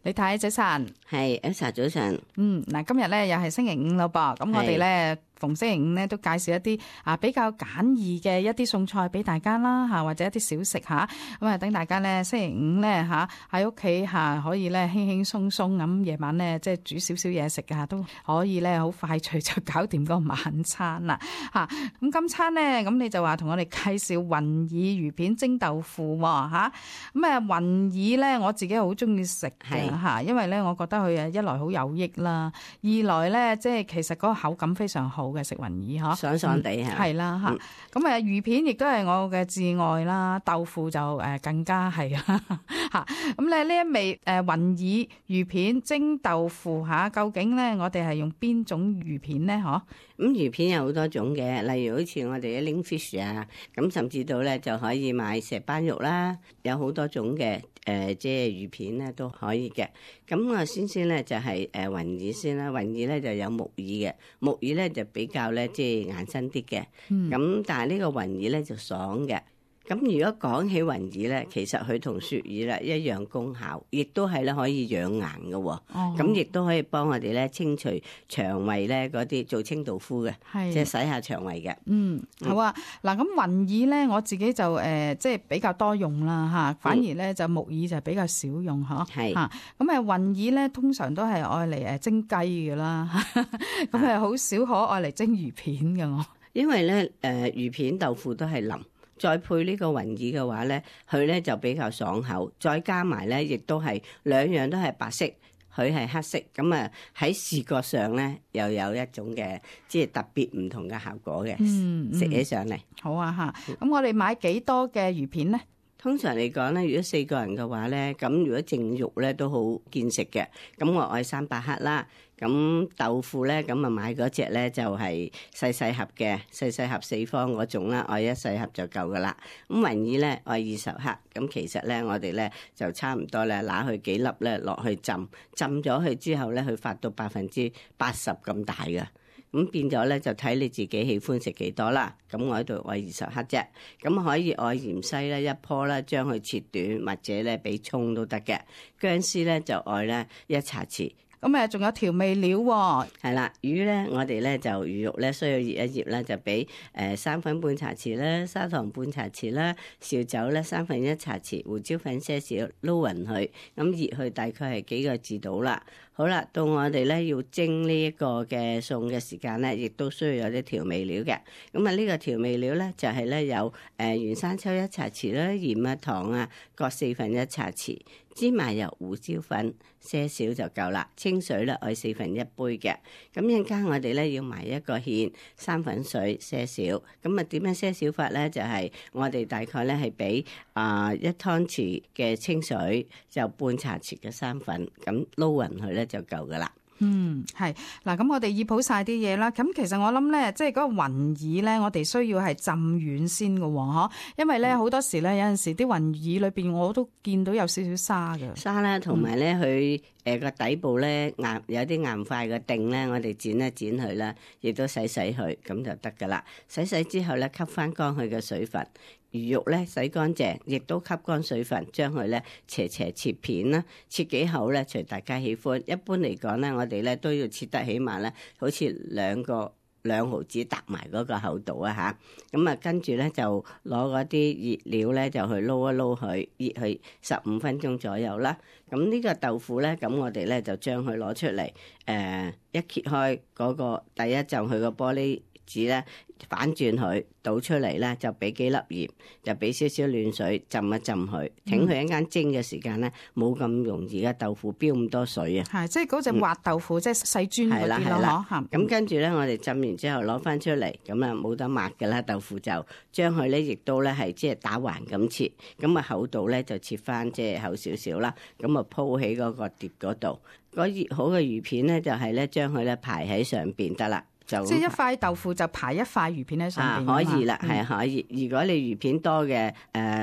李太早晨，係 Elsa 早晨。嗱，今日咧又係星期五咯噃，咁我哋咧逢星期五咧都介紹一啲比較簡易嘅一啲餸菜俾大家啦嚇，或者一啲小食嚇，咁啊等大家咧星期五咧嚇喺屋企嚇可以咧輕輕鬆鬆咁夜晚咧即係煮少少嘢食啊，都可以咧好快脆就搞掂個晚餐啦嚇。咁今餐咧咁你就話同我哋介紹雲耳魚片蒸豆腐喎嚇。咁啊雲耳咧我自己好中意食嘅嚇，因為咧我覺得佢一來好有益啦，二來咧即係其實嗰個口感非常好嘅食雲耳嗬，爽爽地嚇，係啦嚇。咁魚片亦都係我嘅至愛啦，豆腐就更加係啦嚇。咁咧呢一味雲耳魚片蒸豆腐嚇，究竟咧我哋係用邊種魚片咧？嗬？咁魚片有好多種嘅，例如好似我哋嘅 ling fish 啊，咁甚至到咧就可以買石斑肉啦，有好多種嘅即係魚片咧都可以嘅。咁我先咧就係雲耳先啦，雲耳咧就有木耳嘅，木耳咧就比較咧即係硬身啲嘅，咁但係呢個雲耳咧就爽嘅。咁如果講起雲耳咧，其實佢同雪耳咧一樣功效，亦都係咧可以養顏嘅喎。咁亦都可以幫我哋咧清除腸胃咧嗰啲做清道夫嘅，即係洗下腸胃嘅。好啊。嗱咁雲耳咧，我自己就即係比較多用啦嚇，反而咧就木耳就比較少用嗬。係嚇。咁雲耳咧通常都係愛嚟蒸雞嘅啦，咁好少可愛嚟蒸魚片嘅我。因為咧魚片豆腐都係腍。再配呢個雲耳嘅話咧，佢咧就比較爽口，再加埋咧，亦都係兩樣都係白色，佢係黑色，咁啊喺視覺上咧又有一種嘅即係特別唔同嘅效果嘅，食起上嚟。好啊嚇，咁我哋買幾多嘅魚片咧？通常嚟講咧，如果4個人嘅話咧，咁如果淨肉咧都好見食嘅，咁我愛300克啦。咁豆腐咧，咁啊買嗰隻咧就係細細盒嘅，細細盒4方嗰種啦，愛1細盒就夠噶啦。咁雲耳咧愛20克，咁其實咧我哋咧就差唔多咧，拿去幾粒咧落去浸咗佢之後咧，佢發到80%咁大嘅。咁變咗咧就睇你自己喜歡食幾多啦。咁我喺度愛20克啫，咁可以愛芫茜咧1棵啦，將佢切短或者咧俾葱都得嘅。薑絲咧就愛咧1茶匙。咁仲有調味料喎。係啦，魚咧我哋咧就魚肉咧需要醃一醃啦，就俾生粉半茶匙啦，砂糖半茶匙啦，紹酒咧1/3茶匙，胡椒粉些少，撈勻佢，咁醃佢大概係幾個字到啦。好啦，到我哋咧要蒸呢一個嘅餸嘅時間咧，亦都需要有啲調味料嘅。咁啊呢個調味料咧就係咧有原生抽1茶匙啦，鹽啊糖啊各1/4茶匙，芝麻油胡椒粉些少就夠啦。清水咧愛1/4杯嘅。咁一陣間我哋咧要埋一個芡，生粉水些少。咁啊點樣些少法咧？就係我哋大概咧係俾1湯匙嘅清水，就半茶匙嘅生粉，咁撈勻佢咧就夠噶啦。係嗱，咁我哋醃好晒啲嘢啦。咁其實我諗咧，即係嗰個雲耳咧，我哋需要係浸軟先嘅喎，因為咧好多時咧有陣時啲雲耳裏邊我都見到有少少沙嘅沙啦，同埋咧佢個底部咧硬有啲硬塊嘅頂咧，我哋剪一剪佢啦，亦都洗佢，咁就得噶啦。洗之後咧，吸翻乾佢嘅水分。魚肉咧洗乾淨，亦都吸乾水分，將佢咧斜切片啦，切幾厚咧，隨大家喜歡。一般嚟講咧，我哋咧都要切得起碼咧，好似2毫子搭埋嗰個厚度啊吓。咁啊，跟住咧就攞嗰啲熱料咧就去撈一撈佢，熱佢15分鐘左右啦。咁呢個豆腐咧，咁我哋咧就將佢攞出嚟，一揭開嗰個第一浸佢個玻璃紙咧，反轉佢，倒出嚟咧就俾幾粒鹽，就俾少少暖水浸一浸佢，挺佢一間蒸嘅時間咧，冇咁容易嘅豆腐飆咁多水啊！係，即係嗰隻滑豆腐，即係細磚嗰啲咯，嗬。咁跟住咧，我哋浸完之後攞翻出嚟，咁啊冇得抹㗎啦，豆腐就將佢咧亦都咧係即係打橫咁切，咁啊厚度咧就切翻即係厚少少啦，咁啊鋪喺嗰個碟嗰度，嗰熱好嘅魚片咧就係咧將佢咧排喺上邊得啦。即係一塊豆腐就排一塊魚片喺上邊，可以啦，係可以。如果你魚片多嘅，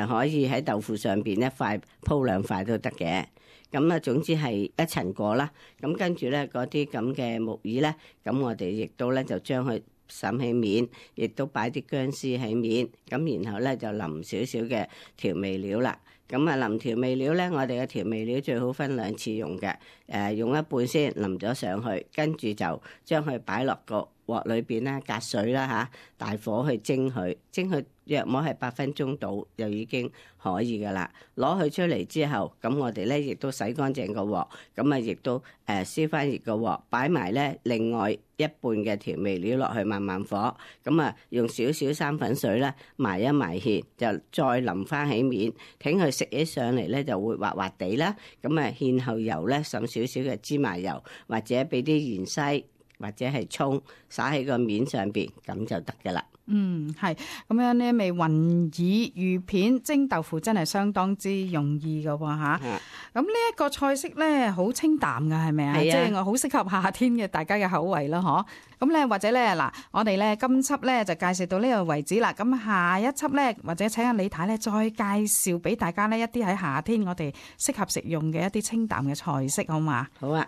可以喺豆腐上邊一塊鋪2塊都得嘅。咁啊，總之係一層過啦。咁跟住咧，嗰啲咁嘅木耳咧，咁我哋亦都咧就將佢滲起面，亦都擺啲薑絲喺面，咁然後咧就淋少少嘅調味料啦。咁啊，淋調味料咧，我哋嘅調味料最好分2次用嘅。用一半先淋咗上去，跟住就將佢擺落個鑊裏邊咧，隔水啦嚇，大火去蒸佢，蒸佢約莫係8分鐘到就已經可以噶啦。攞佢出嚟之後，咁我哋咧亦都洗乾淨個鑊，咁啊亦都燒翻熱個鑊，擺埋咧另外一半嘅調味料落去，慢慢火，咁啊用少少生粉水咧埋一埋芡，就再淋翻起面，挺佢食起上嚟咧就會滑滑地啦。咁啊芡後油咧滲少少嘅芝麻油，或者俾啲芫茜或者係葱灑喺個面上邊，咁就得噶啦。係咁樣呢味雲耳魚片蒸豆腐真係相當之容易噶喎嚇。咁呢一個菜式咧好清淡噶，係咪啊？即係我好適合夏天嘅大家嘅口味咯，嗬。咁咧或者咧嗱，我哋咧今輯咧就介紹到呢度為止啦。咁下一輯咧或者請阿李太咧再介紹俾大家呢一啲喺夏天我哋適合食用嘅一啲清淡嘅菜式，好嘛？好啊。